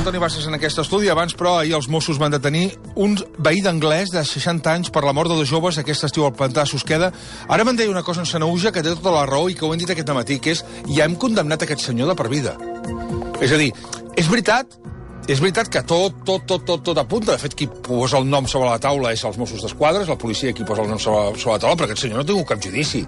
Antoni Bassas en aquest estudi. Abans, però, ahir els Mossos van detenir un veí d'Anglès de 60 anys per la mort de dos joves aquest estiu al pantà de Susqueda. Ara me'n deia una cosa en Sanaüja que té tota la raó i que ho hem dit aquest matí, que és ja hem condemnat aquest senyor de per vida. És a dir, és veritat que tot apunta. De fet, qui posa el nom sobre la taula és els Mossos d'Esquadra, és la policia qui posa el nom sobre la taula, però aquest senyor no ha tingut cap judici.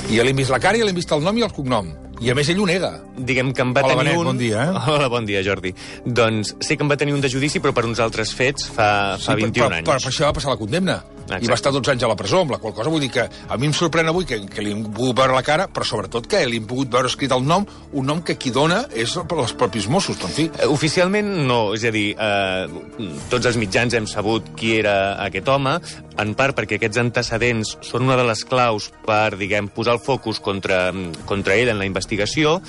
I ja li hem vist la cara, ja li hem vist el nom i el cognom. I a més ell ho nega. Diguem que en va tenir Benet, un... bon dia, Hola, bon dia, Jordi. Doncs sí que en va tenir un de judici, però per uns altres fets fa 21 anys. Per això va passar la condemna. Exacte. I va estar 12 anys a la presó, amb la qual cosa vull dir que a mi em sorprèn avui que li hem pogut veure la cara, però sobretot que li hem pogut veure escrit el nom, un nom que qui dona és els propis Mossos, però en fi. Oficialment no, és a dir, tots els mitjans hem sabut qui era aquest home, en part perquè aquests antecedents són una de les claus per, diguem, posar el focus contra ell en la investigació,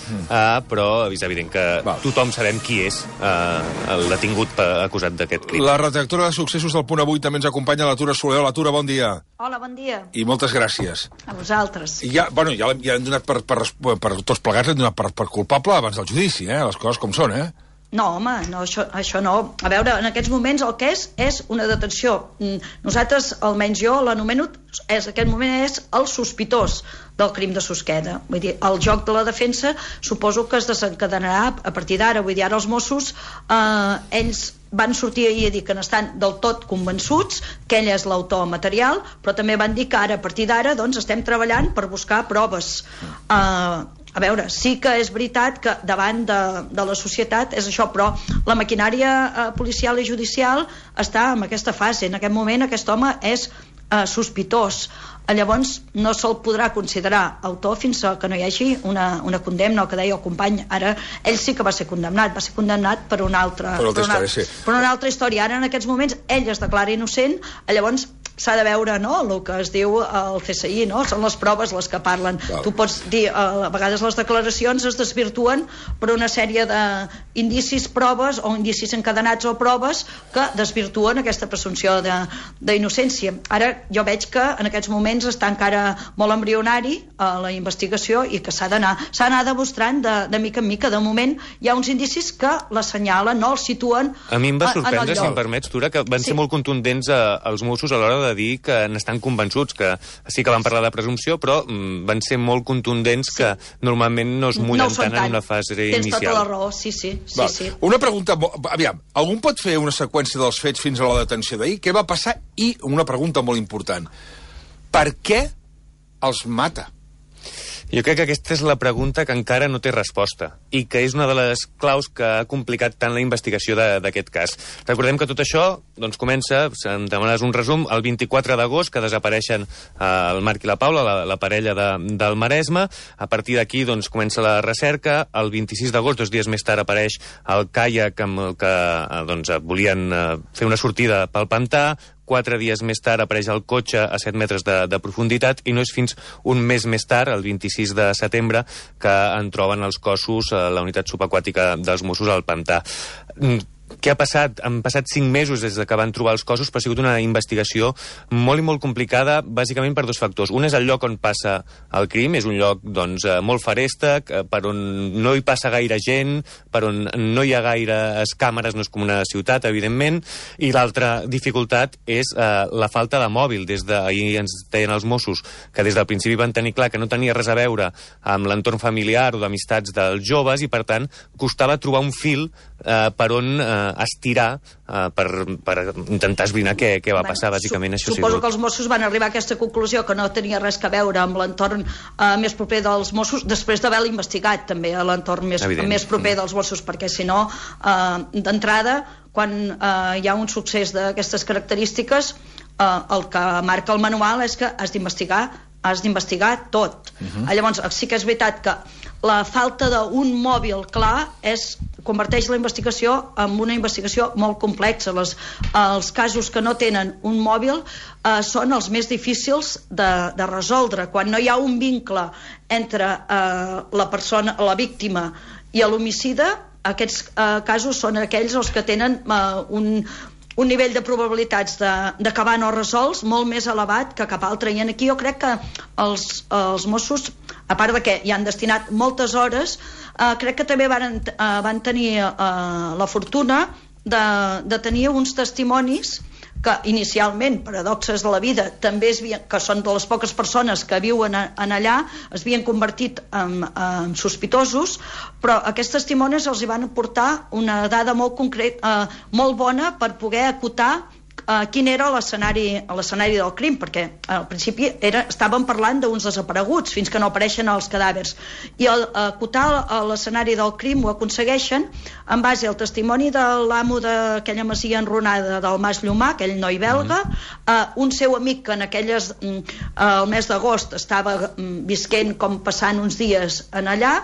però és evident que tothom sabem qui és el detingut acusat d'aquest crim. La redactora de Successos del Punt Avui també ens acompanya, la Tura Soler. La Tura, bon dia. Hola, bon dia. I moltes gràcies. A vosaltres. I ja hem donat per tots plegats, hem donat per culpable abans del judici, les coses com són, No, home, no, això no. A veure, en aquests moments el que és una detenció. Nosaltres, almenys jo, l'anomeno, aquest moment és el sospitós del crim de Susqueda. Vull dir, el joc de la defensa suposo que es desencadenarà a partir d'ara. Vull dir, ara els Mossos, ells van sortir ahir a dir que n'estan del tot convençuts que ell és l'autor material, però també van dir que ara, a partir d'ara, doncs, estem treballant per buscar proves. A veure, sí que és veritat que davant de la societat és això, però la maquinària policial i judicial està en aquesta fase. En aquest moment aquest home és sospitós. Llavors no se'l podrà considerar autor fins que no hi hagi una condemna, el que deia el company. Ara ell sí que va ser condemnat per una altra història. Ara en aquests moments ell es declara innocent, llavors s'ha de veure, no?, el que es diu al CSI, no? Són les proves les que parlen. Tu pots dir, a vegades les declaracions es desvirtuen per una sèrie d'indicis, proves o indicis encadenats o proves que desvirtuen aquesta presumpció d'innocència. Ara jo veig que en aquests moments està encara molt embrionari la investigació i que s'ha d'anar demostrant de mica en mica. De moment hi ha uns indicis que l'assenyalen, no? El situen. A mi em va sorprendre, si em permets, Tura, que van ser molt contundents els Mossos a l'hora de dir que n'estan convençuts, que sí que van parlar de presumpció, però van ser molt contundents, que normalment no es mullen tant en una fase inicial. Tens tota la raó, sí. Una pregunta, aviam, algú pot fer una seqüència dels fets fins a la detenció d'ahir? Què va passar? I una pregunta molt important. Per què els mata? Jo crec que aquesta és la pregunta que encara no té resposta i que és una de les claus que ha complicat tant la investigació d'aquest cas. Recordem que tot això comença, si em demanes un resum, el 24 d'agost, que desapareixen el Marc i la Paula, la parella del Maresme. A partir d'aquí comença la recerca. El 26 d'agost, 2 dies més tard, apareix el caiac amb el que volien fer una sortida pel pantà. 4 dies més tard apareix el cotxe a 7 metres de profunditat i no és fins un mes més tard, el 26 de setembre, que en troben els cossos a la unitat subaquàtica dels Mossos al pantà. Què ha passat? Han passat 5 mesos des que van trobar els cossos, però ha sigut una investigació molt i molt complicada, bàsicament per 2 factors. Un és el lloc on passa el crim, és un lloc molt feréstec, per on no hi passa gaire gent, per on no hi ha gaires càmeres, no és com una ciutat, evidentment, i l'altra dificultat és la falta de mòbil. Des d'ahir ens deien els Mossos que des del principi van tenir clar que no tenia res a veure amb l'entorn familiar o d'amistats dels joves i, per tant, costava trobar un fil per on estirar per intentar esbrinar què va passar, bàsicament. Suposo que els Mossos van arribar a aquesta conclusió, que no tenia res a veure amb l'entorn més proper dels Mossos, després d'haver-la investigat també a l'entorn més proper dels Mossos, perquè si no, d'entrada, quan hi ha un succés d'aquestes característiques, el que marca el manual és que has d'investigar tot. Llavors, sí que és veritat que la falta d'un mòbil clar converteix la investigació en una investigació molt complexa. Els casos que no tenen un mòbil són els més difícils de resoldre. Quan no hi ha un vincle entre la persona, la víctima, i l'homicida, aquests casos són aquells els que tenen un nivell de probabilitats d'acabar no resolts molt més elevat que cap altre. I aquí jo crec que els Mossos a part de que hi han destinat moltes hores, crec que també van tenir la fortuna de tenir uns testimonis que inicialment, paradoxes de la vida, també que són de les poques persones que viuen allà, es havien convertit en sospitosos, però aquests testimonis els hi van aportar una dada molt concreta, molt bona per poder acotar quin era l'escenari del crim, perquè al principi estàvem parlant d'uns desapareguts fins que no apareixen els cadàvers, i acotar l'escenari del crim ho aconsegueixen en base al testimoni de l'amo d'aquella masia enrunada del Mas Llomà, aquell noi belga, un seu amic que el mes d'agost estava visquent com passant uns dies en allà,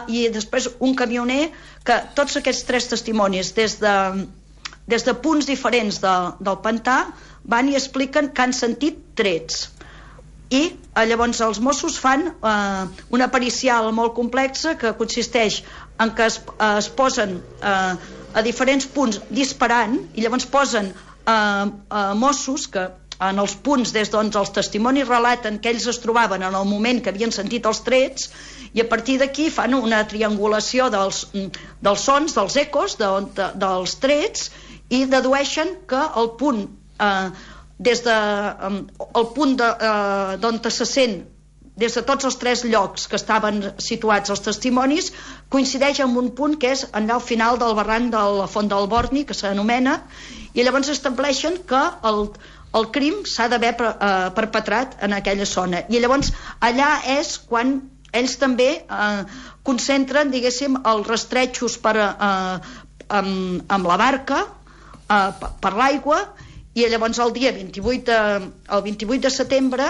i després un camioner, que tots aquests 3 testimonis des de punts diferents del pantà van i expliquen que han sentit trets, i llavors els Mossos fan una pericial molt complexa que consisteix en que es posen a diferents punts disparant, i llavors posen Mossos que en els punts des d'on els testimonis relaten que ells es trobaven en el moment que havien sentit els trets, i a partir d'aquí fan una triangulació dels sons, dels ecos, dels trets, i dedueixen que el punt d'on se sent des de tots els 3 llocs que estaven situats els testimonis coincideix amb un punt que és allà al final del barranc de la Font del Borni, que s'anomena, i llavors estableixen que el crim s'ha d'haver perpetrat en aquella zona, i llavors allà és quan ells també concentren, diguéssim, els rastretxos amb la barca per l'aigua, i llavors el 28 de setembre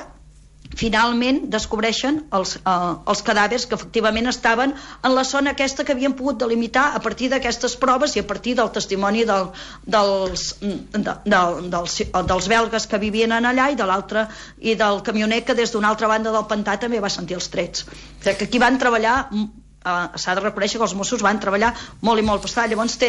finalment descobreixen els cadàvers que efectivament estaven en la zona aquesta que havien pogut delimitar a partir d'aquestes proves i a partir del testimoni dels belgues que vivien allà i de l'altre, i del camioner que des d'una altra banda del pantà també va sentir els trets. O sigui que aquí van treballar, s'ha de reconèixer que els Mossos van treballar molt i molt pesat. Llavors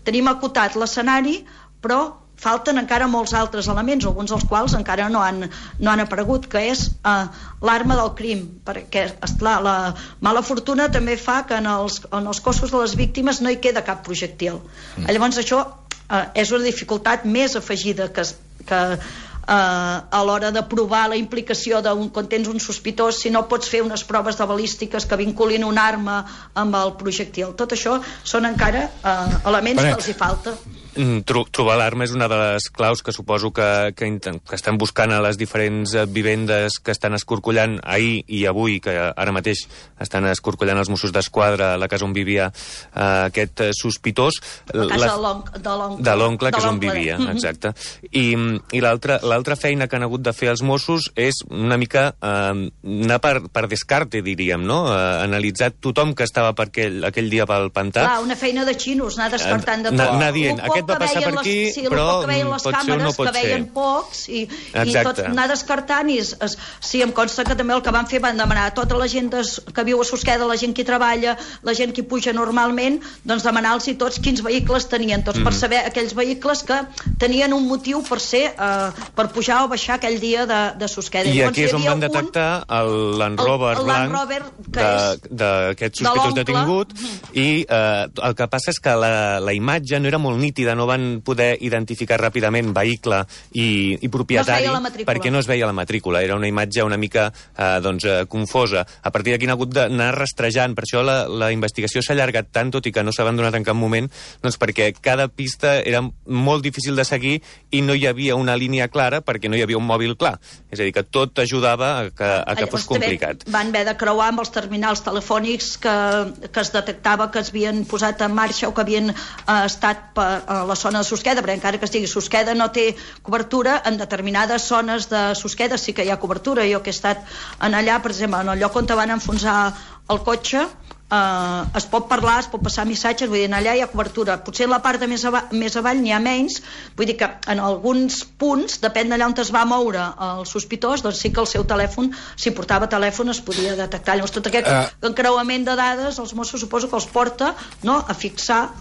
tenim acotat l'escenari, però falten encara molts altres elements, alguns dels quals encara no han aparegut, que és l'arma del crim, perquè esclar, la mala fortuna també fa que en els cossos de les víctimes no hi queda cap projectil. Llavors això és una dificultat més afegida que a l'hora de provar la implicació quan tens un sospitós, si no pots fer unes proves de balístiques que vinculin una arma amb el projectil. Tot això són encara elements que els hi falta. Trobar l'arma és una de les claus que suposo que estan buscant a les diferents vivendes que estan escorcollant ahir i avui, que ara mateix estan escorcollant els Mossos d'Esquadra a la casa on vivia aquest sospitós. La casa de l'oncle, que és on vivia, exacte. I l'altra feina que han hagut de fer els Mossos és una mica anar per descarte, diríem, no? Analitzar tothom que estava aquell dia pel pantà. Clar, una feina de xinos, anar descartant de tot. Anar dient, aquest va passar per aquí, però pot ser o no pot ser. Que veien pocs, i tot anar descartant, i sí, em consta que també el que van fer van demanar a tota la gent que viu a Susqueda, la gent que hi treballa, la gent que hi puja normalment, doncs demanar-los tots quins vehicles tenien, tots per saber aquells vehicles que tenien un motiu per pujar o baixar aquell dia de Susqueda. I aquí és on van detectar el Land Rover blanc d'aquest sospitós detingut, i el que passa és que la imatge no era molt nítida, no van poder identificar ràpidament vehicle i propietari, perquè no es veia la matrícula. Era una imatge una mica confosa. A partir d'aquí han hagut d'anar rastrejant. Per això la investigació s'ha allargat tant, tot i que no s'ha abandonat en cap moment, doncs perquè cada pista era molt difícil de seguir i no hi havia una línia clara perquè no hi havia un mòbil clar. És a dir, que tot ajudava a que fos complicat. Van haver de creuar amb els terminals telefònics que es detectava que es havien posat en marxa o que havien estat a la zona de Susqueda, perquè encara que estigui Susqueda no té cobertura. En determinades zones de Susqueda sí que hi ha cobertura. Jo que he estat allà, per exemple, en el lloc on van enfonsar el cotxe, es pot parlar, es pot passar missatges, vull dir, allà hi ha cobertura. Potser en la part de més avall n'hi ha menys, vull dir que en alguns punts, depèn d'allà on es va moure el sospitós, doncs sí que el seu telèfon, si portava telèfon, es podia detectar. Llavors tot aquest encreuament de dades, els Mossos suposo que els porta a fixar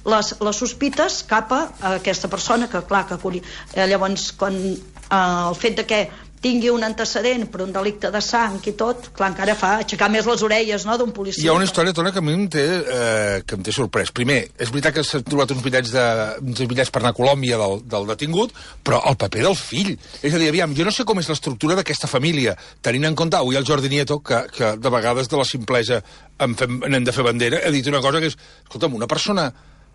les sospites cap a aquesta persona, que clar, que llavors el fet de que tingui un antecedent per un delicte de sang i tot, clar, encara fa aixecar més les orelles, no?, d'un policia. Hi ha una història, Tona, que a mi em té sorprès. Primer, és veritat que s'han trobat uns bitllets per anar a Colòmbia del detingut, però el paper del fill. És a dir, aviam, jo no sé com és l'estructura d'aquesta família, tenint en compte, avui el Jordi Nieto, que de vegades de la simplesa n'hem de fer bandera, ha dit una cosa que és, escolta'm, una persona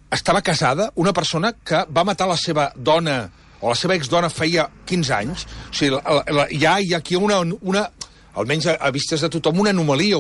estava casada, una persona que va matar la seva dona o la seva exdona feia 15 anys, o sigui, hi ha aquí una almenys a vistes de tothom, una anomalia,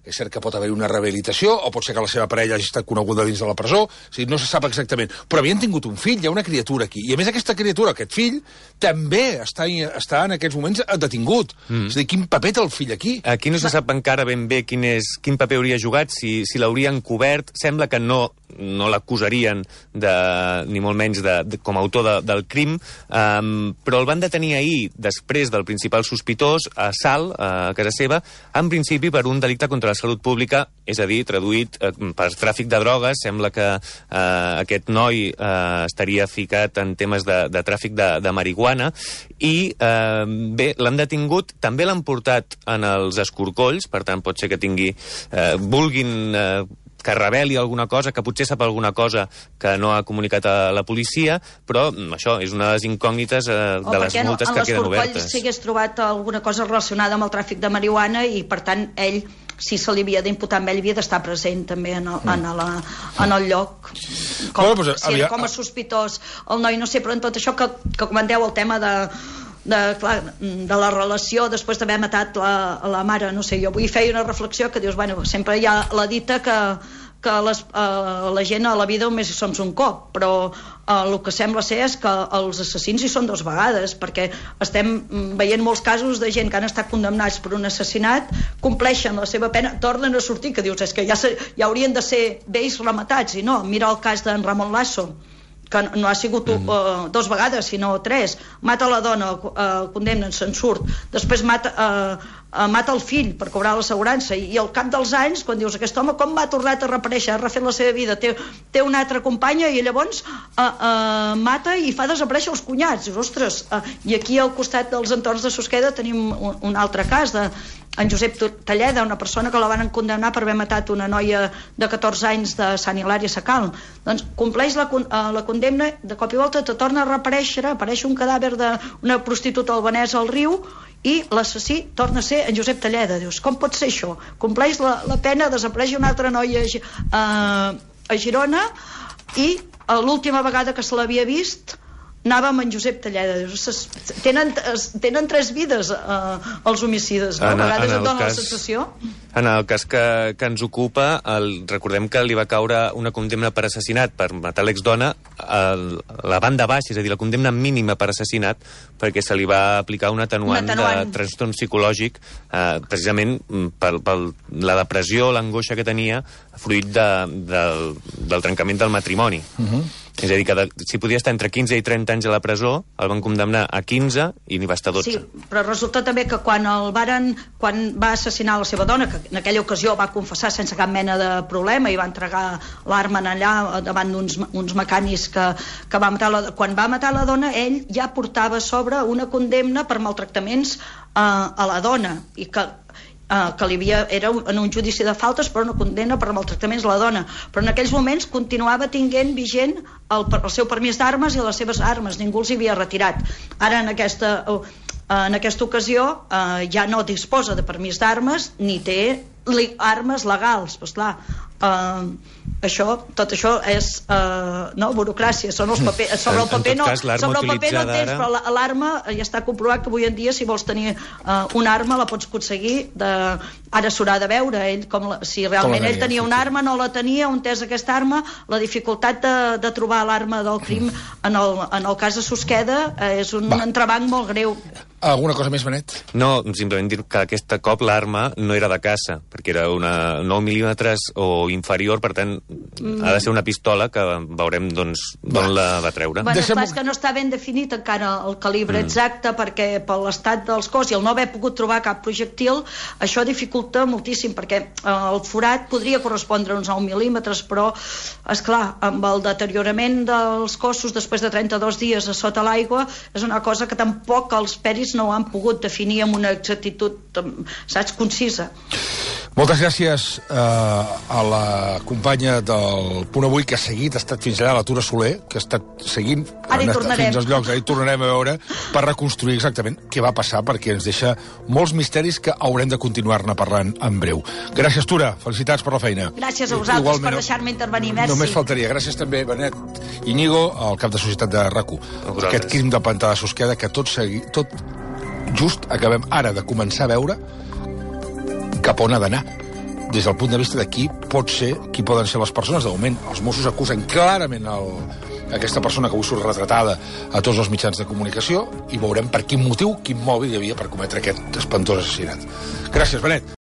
és cert que pot haver una rehabilitació, o pot ser que la seva parella hagi estat coneguda dins de la presó, o sigui, no se sap exactament, però havien tingut un fill, hi ha una criatura aquí, i a més aquesta criatura, aquest fill, també està en aquests moments detingut. És a dir, quin paper té el fill aquí? Aquí no se sap encara ben bé quin paper hauria jugat, si l'haurien cobert. Sembla que no l'acusarien ni molt menys com a autor del crim, però el van detenir ahir, després del principal sospitós, a Salt, a casa seva, en principi per un delicte contra la salut pública, és a dir, traduït per tràfic de drogues. Sembla que aquest noi estaria ficat en temes de tràfic de marihuana i bé, l'han detingut, també l'han portat en els escorcolls, per tant pot ser que vulguin que reveli alguna cosa, que potser sap alguna cosa que no ha comunicat a la policia, però això és una de les incògnites de les moltes que queden obertes. En l'escorcoll s'hagués trobat alguna cosa relacionada amb el tràfic de marihuana i, per tant, ell, si se li havia d'imputar amb ell, havia d'estar present també en el lloc. Com a sospitós. El noi, no sé, però en tot això que comenteu, el tema de la relació després d'haver matat la mare, no sé, jo avui feia una reflexió que dius, bueno, sempre hi ha la dita que la gent a la vida només hi som un cop, però el que sembla ser és que els assassins hi són 2 vegades, perquè estem veient molts casos de gent que han estat condemnats per un assassinat, compleixen la seva pena, tornen a sortir, que dius, és que ja haurien de ser vells rematats, i no, mira el cas d'en Ramon Lasso, que no ha sigut 2 vegades, sinó 3. Mata la dona, condemnen, se'n surt. Després mata el fill per cobrar l'assegurança. I al cap dels anys, quan dius, aquest home com m'ha tornat a reaparèixer, ha refet la seva vida, té una altra companya i llavors mata i fa desaparèixer els cunyats. Dius, ostres, i aquí al costat dels entorns de Susqueda tenim un altre cas en Josep Talleda, una persona que la van condemnar per haver matat una noia de 14 anys de Sant Hilari Sacalm. Doncs compleix la condemna, de cop i volta te torna a reaparèixer, apareix un cadàver d'una prostituta albanesa al riu i l'assassí torna a ser en Josep Talleda. Dius, com pot ser això? Compleix la pena, desapareix una altra noia a Girona i l'última vegada que se l'havia vist anava amb en Josep Talleda. Tenen 3 vides els homicides, no? A vegades et dona la sensació. En el cas que ens ocupa, recordem que li va caure una condemna per assassinat per matar l'exdona la banda baixa, és a dir, la condemna mínima per assassinat, perquè se li va aplicar un atenuant de trastorn psicològic, precisament per la depressió, l'angoixa que tenia fruit del trencament del matrimoni. És a dir, que si podia estar entre 15 i 30 anys a la presó, el van condemnar a 15 i n'hi va estar 12. Sí, però resulta també que quan va assassinar la seva dona, que en aquella ocasió va confessar sense cap mena de problema i va entregar l'arma allà davant d'uns mecànics que va matar quan va matar la dona, ell ja portava a sobre una condemna per maltractaments a la dona i que era en un judici de faltes, però una condemna per maltractaments a la dona, però en aquells moments continuava tinguent vigent el seu permís d'armes i les seves armes, ningú els havia retirat. Ara en aquesta ocasió ja no disposa de permís d'armes ni té armes legals, doncs clar, tot això és burocràcia, són els papers, sobre el paper no tens, però l'arma ja està comprovat que avui en dia si vols tenir una arma la pots aconseguir, ara s'haurà de veure si realment ell tenia una arma, no la tenia, on és aquesta arma, la dificultat de trobar l'arma del crim en el cas de Susqueda és un entrebanc molt greu. Alguna cosa més, Benet? No, simplement dir que aquest cop l'arma no era de caça, perquè era una 9 mil·límetres o inferior, per tant, ha de ser una pistola que veurem d'on la va treure. Bueno, és que no està ben definit encara el calibre exacte, perquè per l'estat dels cos i el no haver pogut trobar cap projectil, això dificulta moltíssim, perquè el forat podria correspondre a uns 9 mil·límetres, però, esclar, amb el deteriorament dels cossos després de 32 dies a sota l'aigua, és una cosa que tampoc els peris no ho han pogut definir amb una exactitud, saps, concisa. Moltes gràcies a la companya del Punt Avui, que ha seguit, ha estat fins allà, la Tura Soler, que ha estat seguint fins als llocs, ara hi tornarem a veure, per reconstruir exactament què va passar, perquè ens deixa molts misteris que haurem de continuar-ne parlant en breu. Gràcies, Tura, felicitats per la feina. Gràcies a vosaltres. Igualment, per deixar-me intervenir, merci. Només faltaria. Gràcies també, Benet Íñigo, el cap de societat de RAC1. Aquest crim del pantà de Susqueda que tot just acabem ara de començar a veure cap on ha d'anar. Des del punt de vista de qui poden ser les persones. De moment, els Mossos acusen clarament aquesta persona que avui surt retratada a tots els mitjans de comunicació, i veurem per quin motiu, quin mòbil hi havia per cometre aquest espantós assassinat. Gràcies, Benet.